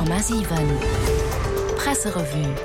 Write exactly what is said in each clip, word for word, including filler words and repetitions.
Komma siwen Presserevue.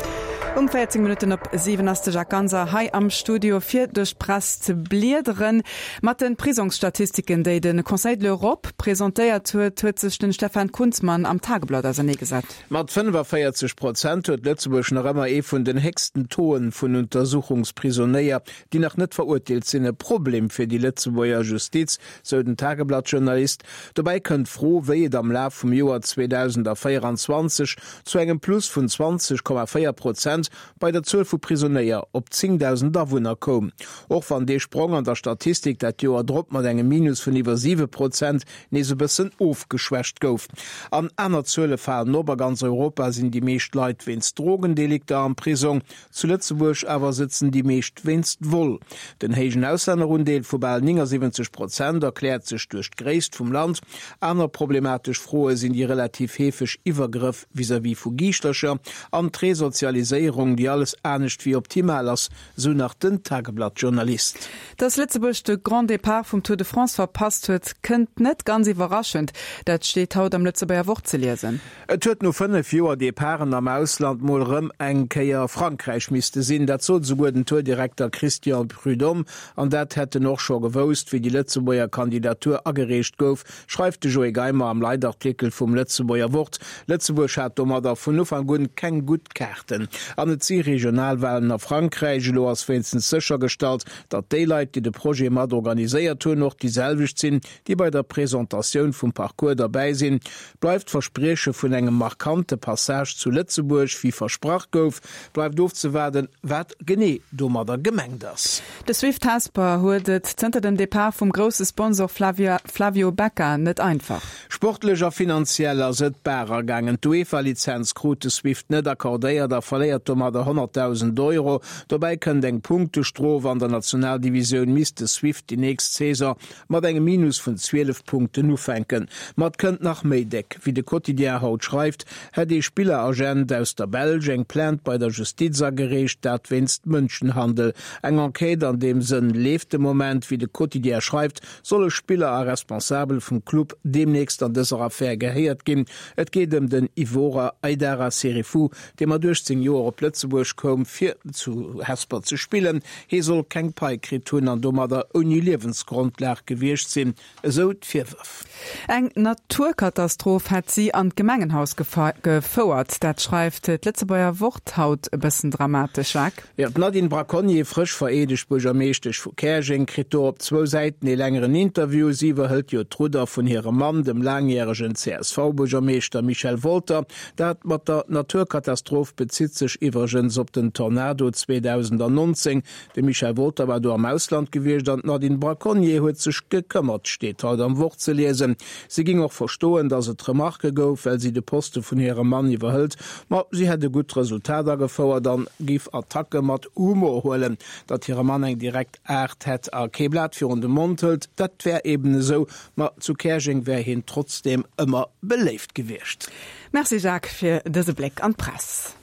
Um véierzéng Minutten op siwen ass de Jacques Ganser hei am Studio fir duerch d'Press ze bliederen. Mat de Prisongsstatistiken, déi de Conseil de l'Europe presentéiert huet, huet sech den Stefan Kunzmann am Tageblatt auserneegesat. Mat fënnefavéierzeg Prozent huet Lëtzebuerg nach ëmmer ee vun den héchsten Tauxen vun Untersuchungsprisonéier, déi nach net verurteelt sinn. E Problem fir déi Lëtzebuerger Justiz, sou den Tageblatt-Journalist. Dobäi kënnt d'Fro, wéi et am Laf vum Joer zweedausendvéierenzwanzeg zu engem Plus vun zwanzeg Komma véier Prozent bei der Zuel vu Prisonéier op zéngdausend Awunner koum. Och wann dee Sprong an der Statistik dat Joer drop mat engem Minus vun iwwer siwe Prozent nees e bëssen ofgeschwächt gouf. An aner Zuele falen op, A ganz Europa sinn déi meescht Leit wéinst Drogendelikter am Prisong, zu Lëtzebuerg awer sëtzen déi meescht wéinst Vol. Den héijen Auslännerundeel vu bal néngasiwwenzeg Prozent erkläert sech duerch d'Gréisst vum Land. Aner problematesch Froe sinn déi relativ heefeg Iwwergrëff vis-à-vis vu Giischtercher an d'Resozialiséierung, déi alles anescht wéi optimal ass, sou nach den Tageblatt-Journalist. Dass Lëtzebuerg de Grand Départ vum Tour de France verpasst huet, kënnt net ganz iwwerraschend. Dat steet haut am Lëtzebuerger Wort ze liesen. Et huet no fënnef Joer Departen am Ausland mol rëm eng Kéier Frankräich misste sinn. Dat sot esouguer den Tour-Direkter Christian Prudhomme. An dat hätt en och scho gewousst, wéi déi Lëtzebuerger Kandidatur agereecht gouf, schreift de Joé Geimer am Leitartikel vum Lëtzebuerger Wort. Lëtzebuerg hat domadder vun Ufank un keng gutt Kaarten. An et si Regionalwalen a Frankräich. Elo ass wéinstens séchergestallt, datt déi Leit, déi de Projet mat organiséiert hunn, och déi selwecht sinn, déi bei der Presentatioun vum Parcours derbäi sinn. Bleift d'Versprieche vun engem markante Passage zu Lëtzebuerg, wéi versprach gouf? Bleift ofzewaarden, wat genee domadder gemengt ass. De Swift Hesper huet et zënter dem Depart vum grousse Sponsor Flavio Becca net einfach. Sportlech a finanziell ass et barer gaangen. D'UEFA-Lizenz krut de Swift net accordéiert a verléiert domadder honnertdausend Euro. Dobäi kënnt eng Punktestrof. An der Nationaldivisioun misst de Swift déi nächst Saison mat engem Minus vun zwielef Punkten ufänken. Ma et kënnt nach méi déck. Wéi de Quotidien haut schreift, hätt ee Spilleragent aus der Belsch eng Plainte bei der Justiz agereecht, dat wéinst Mënschenhandel. Eng Enquête an deem Sënn leeft de Moment. Wéi de Quotidien schreift, solle Spiller a Responsabel vum Club deemnächst an dëser Affär gehéiert ginn. Et geet ëm den Ivorer Aidara Serifou, dee mat uechtzéng Joer op Lëtzebuerg koum, fir zu Hesper ze spillen. Hie soll keng Pai kritt hunn an domadder ouni Liewensgrondlag gewiescht sinn, esou d'Virwërf. Eng Naturkatastroph hätt si an d'Gemengenhaus gefouert. Dat schreift d'Lëtzebuerger Wort haut e bëssen dramatesch, Jacques. Jo, d'Nadine Braconnier, frësch vereedegt Buergermeeschtesch vu Käerjeng, kritt do op zwou Säiten ee längeren Interview. Si iwwerhëlt jo d'Rudder vun hirem Mann, dem laangjäregen C S V-Buergermeeschter Michel Wolter. Dat mat der Naturkatastroph bezitt sech iwwregens op den Tornado zweedausendnonzéng. De Michel Wolter war do am Ausland gewiescht an d'Nadine Braconnier huet sech gekëmmert, steet haut am Wort ze liesen. Si géing och verstoen, datt et Remarquë gouf, well si de Poste vun hirem Mann iwwerhëlt, ma si hätt e gutt Resultat agefouert an géif Attacke mat Humor huelen. Datt hire Mann eng direkt Aart hätt a kee Blat virun de Mond hëlt, dat wär eben esou, ma zu Käerjeng wär hien trotzdeem ëmmer beléift gewiescht. Merci Jacques fir dëse Bléck an d'Press.